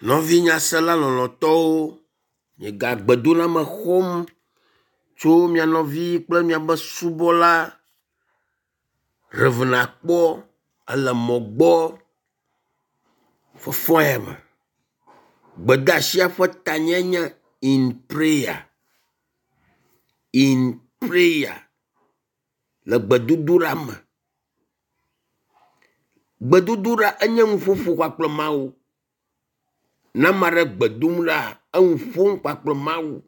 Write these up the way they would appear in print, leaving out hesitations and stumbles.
Nɔvi nyasela lɔlɔ̃tɔwo, miegagbedoname xɔm tso mia nɔvi kple miabe subɔla Rev. Akpɔ ele mɔ gbɔ fɔfɔ ya me. Gbedeasia ƒe tanya nye “In prayer, in prayer” le gbedodoɖa me. Gbedodoɖa enye nuƒoƒo kpakple Mawu. Ne ame aɖe gbe dom ɖa enu ƒom kpakple Mawu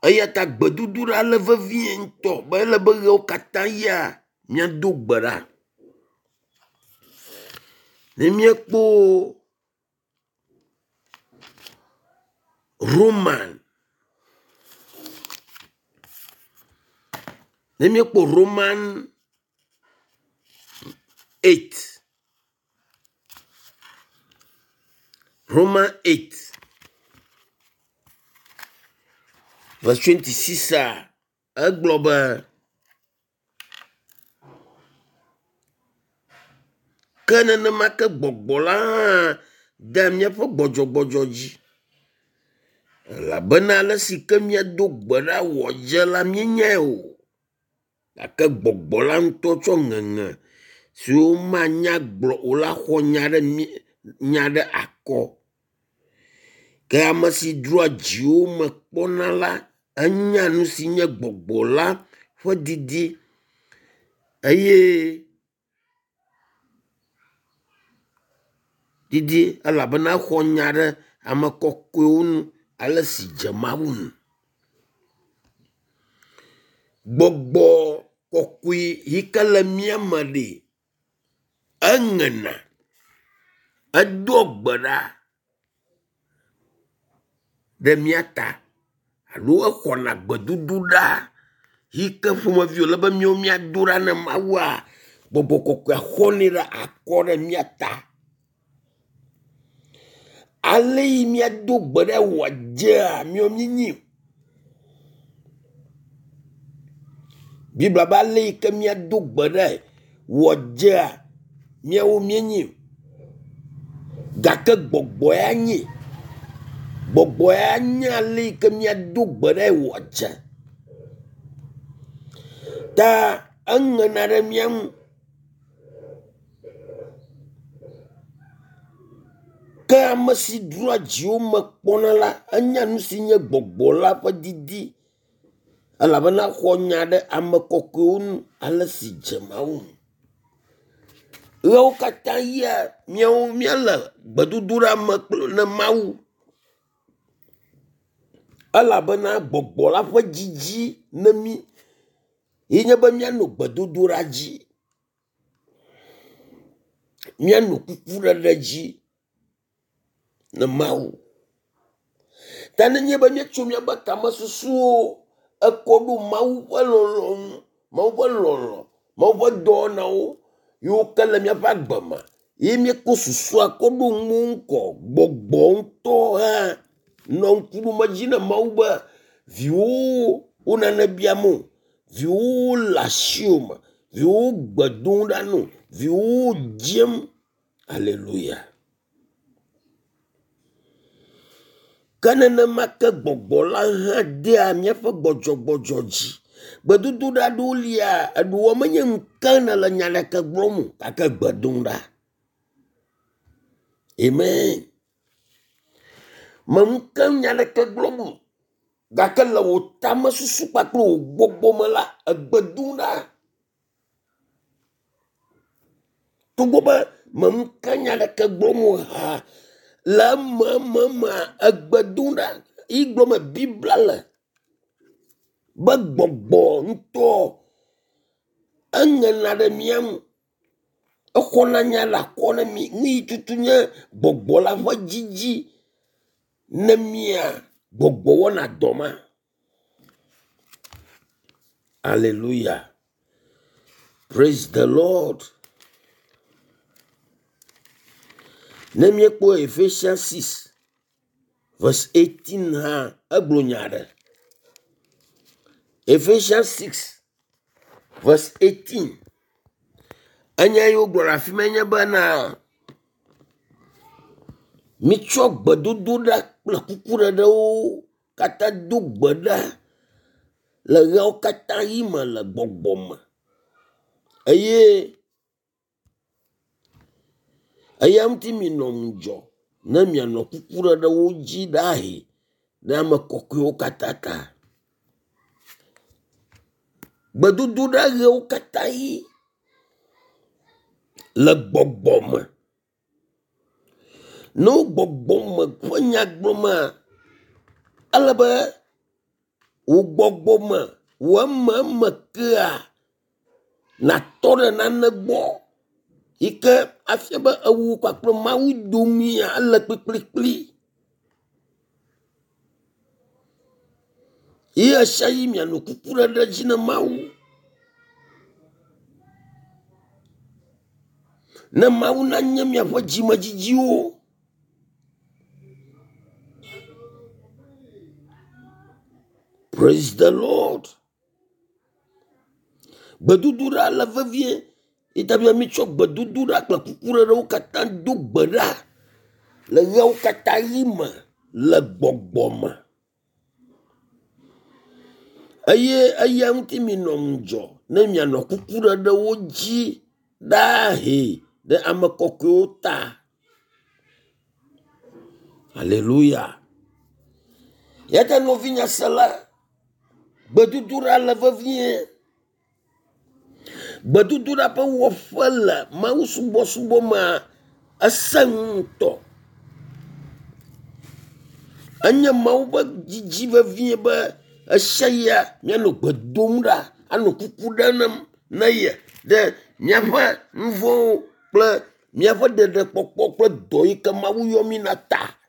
eya ta gbedodoɖa le vevie ŋutɔ be ele be ʋewo katã ʋia míado gbe ɖa. Ne míekpɔ Roman ne míekpɔ Roman 8 Roman 8 verse 26 egblɔ be ke nenema ke gbɔgbɔ la hã dea míaƒe gbɔdzɔgbɔdzɔ dzi elabena ale si ke míado gbe ɖa wòadze la míenyae o gake gbɔgbɔ la ŋutɔ tsɔ ŋeŋe siwo womanya gblɔ o la xɔ nya ɖe mí nya ɖe akɔ. Ke ame si dzroa dziwo me kpɔna la enya nu si nye gbɔgbɔ la ƒe didi eye didi elabena exɔ nya ɖe ame kɔkɔewo nu ale si dze Mawu ŋu. Gbɔgbɔ kɔkɔe yi ke le mía me ɖe, eŋena, edoa gbe ɖa ɖe mía ta alo exɔna gbedodoɖa yi ke ƒomevi wòle be míawo míado ɖa na Mawua, gbɔgbɔ kɔkɔea xɔnɛ ɖe akɔ ɖe mía ta. Ale yi míado gbe ɖa wòadzea míawo míenyi o. Biblia be ale yi ke míado gbe ɖae wòadzea míawo míenyi o gake gbɔgbɔ ya nyi. Gbɔgbɔ ya nya ale yi ke míado gbe ɖae wòadze. Ta eŋena ɖe mía ŋu. Ke ame si dzroa dziwo me kpɔna la, enya nu si nye gbɔgbɔ la ƒe didi elabena exɔ nya ɖe ame kɔkɔewo nu ale si dze Mawu ŋu. Ʋewo katã ʋia míawo míele gbedodoɖa me kple ne Mawu elabena gbɔgbɔ la ƒe dzidzi ne mí ye nye be míanɔ gbedodoɖa dzi, míanɔ kukuɖeɖe dzi ne Mawu. Ta nenye be míetso míaƒe tamesusuwo ekɔ ɖo Mawu ƒe lɔlɔ̃nu, Mawu ƒe lɔlɔ̃, Mawu ƒe dɔwɔnawo yiwo ke le míaƒe agbe me ye míekɔ susua kɔ ɖo nu ŋgɔ gbɔgbɔ ŋutɔ hã nɔ ŋku ɖom edzi na Mawu be viwòwo wo nane biam o, viwòwo le asiwò me, viwòwo gbe dom ɖa no, viwòwo dzem. Aleluya. Ke nenema ke gbɔgbɔ la hã dea míaƒe gbɔdzɔgbɔdzɔ dzi. Gbedodoɖa aɖewo lia, eɖewoa menye nu ke nèle nya ɖeke gblɔm o gake gbe dom ɖa. Amen. Me nu ke nya ɖeke gblɔm o gake le wò tamesusu kpakple wò gbɔgbɔ me la, egbe dom ɖa. Togbɔ be me nu ke nya ɖeke gblɔm o hã, le emememea, egbe dom ɖa yi gblɔm Biblia le be gbɔgbɔ ŋutɔ eŋena ɖe mía ŋu. Exɔna nya le akɔ na mí. Nu yi tutu nye gbɔgbɔ la ƒe dzidzi ne mía gbɔgbɔ wɔna dɔ ma. Aleluya. Praise the Lord. Ne míekpɔ Ephesians 6 verse 18 hã egblɔ nya aɖe. Ephesians 6 verse 18. Enya yi wogblɔ le afi ma nye bena. Mitsɔ gbedodoɖa kple kukuɖeɖewo katã do gbe ɖa le ʋeawo katã ʋi me le gbɔgbɔ me eye eya ŋuti minɔ ŋudzɔ ne mianɔ kukuɖeɖewo dzi ɖahi ɖe ame kɔkɔewo katã ta. Gbedodoɖa ʋewo katã ʋi le gbɔgbɔ me. Ne wo gbɔgbɔ me ƒe nya gblɔmea, ele be wò gbɔgbɔ me, wò ememe kea nàtɔ ɖe nane gbɔ yi ke afia be ewu kpakple Mawu domea ele kplikplikpli. Ye ɣesiaɣi mianɔ kuku ɖe dzi na Mawu. Ne Mawu nanye miaƒe dzimedzidziwo. Praise the Lord. Gbedodoɖa le vevie. Yi ta be mitsɔ gbedodoɖa kple kukuɖeɖewo katã do gbe ɖa le ʋeawo katã ʋi me le gbɔgbɔ me. Eye eya ŋuti minɔ ŋudzɔ ne mianɔ kukuɖeɖewo dzi ɖaa hɛ ɖe ame kɔkɔewo ta. Aleluya. Ya ta nɔvinye sela, gbedodoɖa le vevie. Gbedodoɖa ƒe wɔƒe le mawusubɔsubɔ mea esẽ ŋutɔ. Enye Mawu ƒe didi vevie be ɣesiaɣia míanɔ gbe dom ɖa anɔ kuku ɖem na ye ɖe míaƒe nu vɔ̃wo kple míaƒe ɖeɖekpɔkpɔ kple dɔ yi ke Mawu yɔ mí na ta.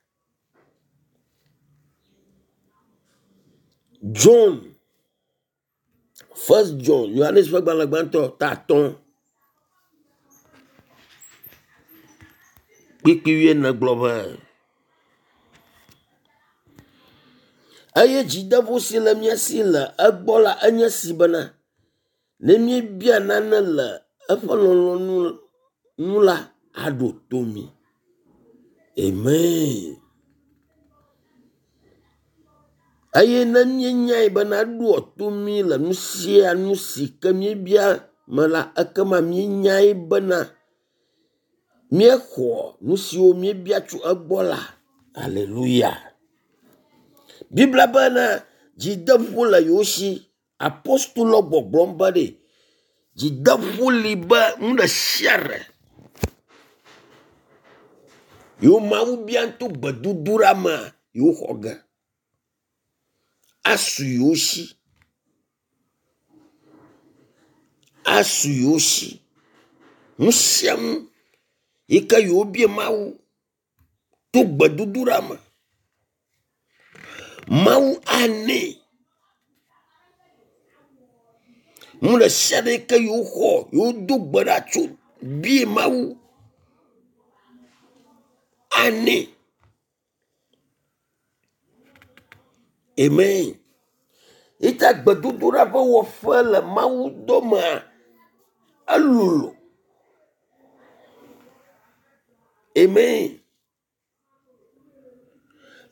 John First John Yohanes ƒe gbalẽ gbãtɔ ta atɔ̃ kpukpui wuiene gblɔ be eye dzideƒo si le mía si le egbɔ la enye si bena ne míebia nane le eƒe lɔlɔ̃nu nu la aɖo to mí. Amen. Eye ne míenyae bena eɖoa to mí le nu sia nu si ke míebia me la, ekema míenyae bena míexɔ nu siwo míebia tso egbɔ la. Aleluya. Biblia bena dzideƒo le yewo si. Apostolo gbɔgblɔm be ɖe dzideƒo li be nu ɖe sia ɖe yewo Mawu bia to gbedodoɖa mea yewo xɔ ge. Asu yewo si. Asu yewo si. Nu sia nu yi ke yewobia Mawu to gbedodoɖa me. Mawu anɛ. Nu ɖe sia ɖe yi ke yewoxɔ, yewodo gbe ɖa tso bia Mawu anɛ. Amen. Yi ta gbedodoɖa ƒe wɔƒe le Mawu dɔmea, elolo. Amen.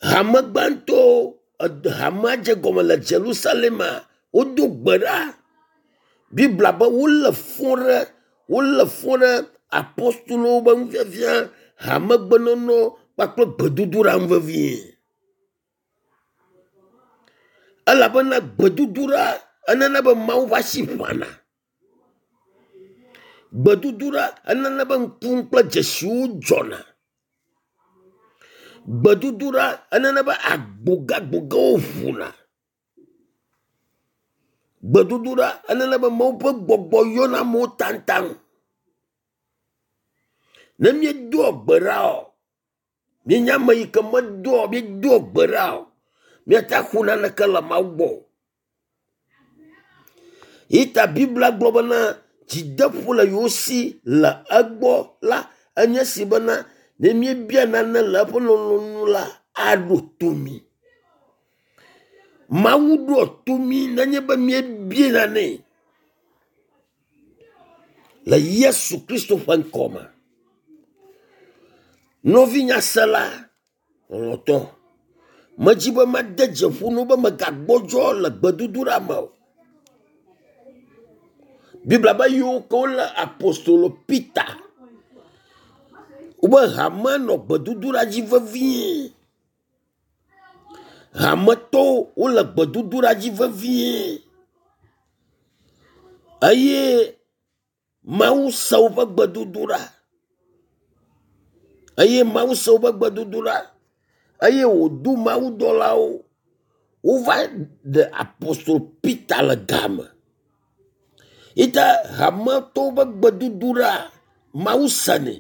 Hame gbãtɔwo, hamea dze gɔme le Jerusalema, wodo gbe ɖa. Biblia be wolé fɔ ɖe wolé fɔ ɖe apostolowo ƒe nufiafia, hamegbenɔnɔ kpakple gbedodoɖa ŋu vevie. Elabena gbedodoɖa enana be Mawu ƒe asi ʋãna. Gbedodoɖa enana be ŋku kple dzesiwo dzɔna. Gbedodoɖa enana be agbogagbogawo ʋuna. Gbedodoɖa enana be Mawu ƒe gbɔgbɔ yɔna amewo taŋtaŋ. Ne míedoa gbe ɖa o, míenye ame yi ke medoa míedoa gbe ɖa o, míate ŋu axɔ naneke le Mawu gbɔ o. Yi ta Biblia gblɔ bena dzideƒo le yewo si le egbɔ la enye si bena ne míebia nane le eƒe lɔlɔ̃nu la aɖo to mí. Mawu ɖoa to mí nenye be míebia nane le Yesu Kristo ƒe ŋkɔ me. Nɔvinyasela. Lɔlɔ̃tɔ, medzi be made dzi ƒo na wò be mègagbɔdzɔ le gbedodoɖa me o. Biblia be yiwo ke wolé apostolo Peter wobe hame nɔ gbedodoɖa dzi vevie. Hametɔwo wole gbedodoɖa dzi vevie eye Mawu se woƒe gbedodoɖa eye Mawu se woƒe gbedodoɖa eye wòdo mawudɔlawo wova ɖe apostol Peter le game. Yi ta hametɔwo ƒe gbedodoɖa Mawu senɛ.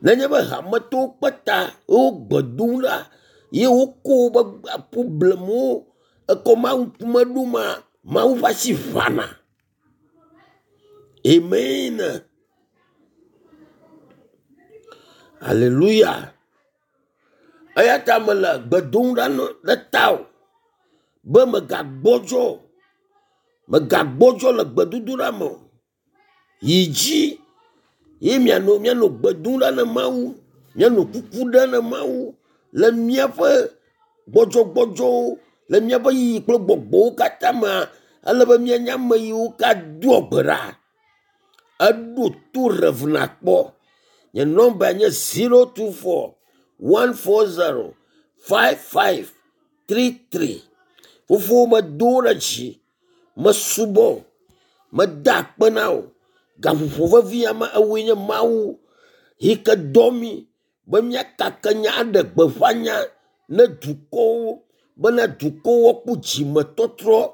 Nenye be hametɔwo kpe ta wo gbe dom ɖa ye woko woƒe problemwo ekɔ Mawu ŋkume ɖo ma, Mawu ƒe asi ʋãna. Amen. Aleluya. Eya ta mele gbe dom ɖa ɖe tawò be mègagbɔdzɔ o. Mègagbɔdzɔ le gbedodoɖa me o. Yi dzi ye mianɔ mianɔ gbe dom ɖa na Mawu, mianɔ kuku ɖem na Mawu le míaƒe gbɔdzɔgbɔdzɔwo, le míaƒe yiyi kple gbɔgbɔwo katã mea, ele be míanye ame yiwo ka doa gbe ɖa. Eɖo to Rev nakpɔ. Nye nɔmba nye 024 140 5533. Fofo medo ɖe dzi, mesubɔ, meda akpe na wò. Gaƒoƒo vevi ame ewoe nye Mawu yi ke dɔ mí be míakake nya aɖe gbeƒã nya ne dukɔwo bena dukɔwo woakpɔ dzimetɔtrɔ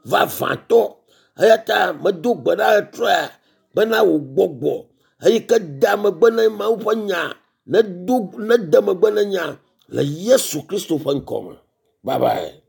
vavãtɔ. Eya ta medo gbe ɖa ɣetrɔa bena wò gbɔgbɔ eyi ke dea megbe na Mawu ƒe nya nedo nede megbe na nya le Yesu Kristo ƒe ŋkɔ me. Bye bye.